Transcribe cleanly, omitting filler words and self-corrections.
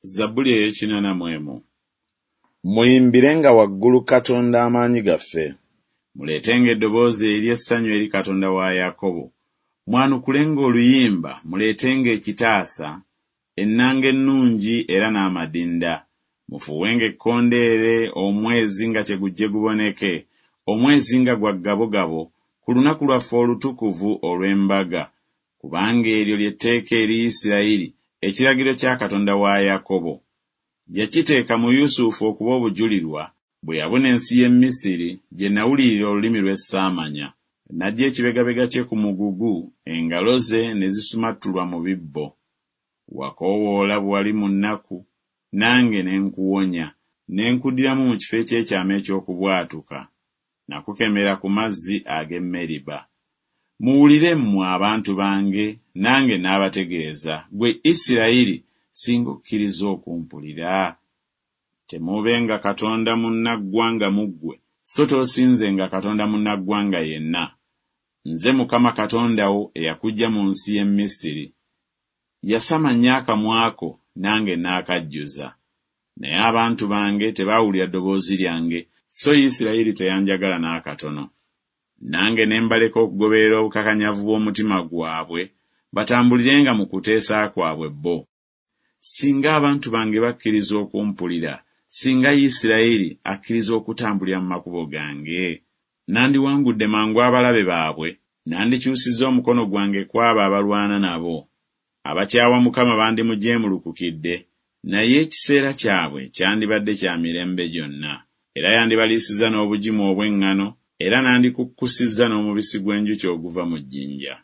Zabbuli ey'ekinana mu emu. Muyimbirenga waggulu Katonda amaanyi gaffe. Muleetenga eddoboozi ery'essanyu eri Katonda wa Yakobo. Mwanukulenga oluyimba, muleetenga ekitaasa, ennanga ennungi era n'amadinda. Mufuuwenga ekkondeere omwezi nga kye gujje guboneke, omwezi nga gwa ggabogabo, ku lunaku lwaffe olutukuvu olw'embaga, kubanga eryo lye tteeka eri Isirayiri, ekiragiro kya Katonda wa Yakobo. Yakiteeka mu Yusufu okuba obujulirwa, bwe yabuna ensi y'e Misiri, gye nawulirira olulimi lwe ssaamanya. N'aggya ekibegabega kye ku mugugu, engalo ze ne zisumattulwa mu bibbo. Wakoowoola bwe wali mu nnaku, nange ne nkuwonya, ne nkuddiramu mu kifo eky'ekyama eky'okubwatuka. Nakukemera ku mazzi ag'e Meriba. Muwulire mmwe abantu bange, nange naabategeeza, ggwe Isirayiri, singa okkiriza okumpulira! Temuubenga katonda munnaggwanga mu ggwe, so toosinzenga katonda munnaggwanga yenna. Nze Mukama Katonda wo eyakuggya mu nsi y'e Misiri. Yasama nnyo akamwa ko, nange naakajjuza. Naye abantu bange tebaawulira ddoboozi lyange, so Isirayiri teyanjagala n'akatono. Nange ne mbaleka okugoberera obukakanyavu bw'omutima gwabwe, batambulirenga mu kuteesa kwabwe bo. Singa abantu bange bakkiriza okumpulira, singa Isirayiri akkiriza okutambulira mu makubo gange! Nandiwangudde mangu abalabe baabwe, nandikyusizza omukono gwange ku abo abalwana nabo. Abakyawa Mukama bandimujeemulukukidde, naye ekiseera kyabwe kyandibadde kya mirembe gyonna. Era yandibaliisizza n'obugimu obw'eŋŋano, era nandikukkusizza n'omubisi gw'enjuki oguva mu jjinja.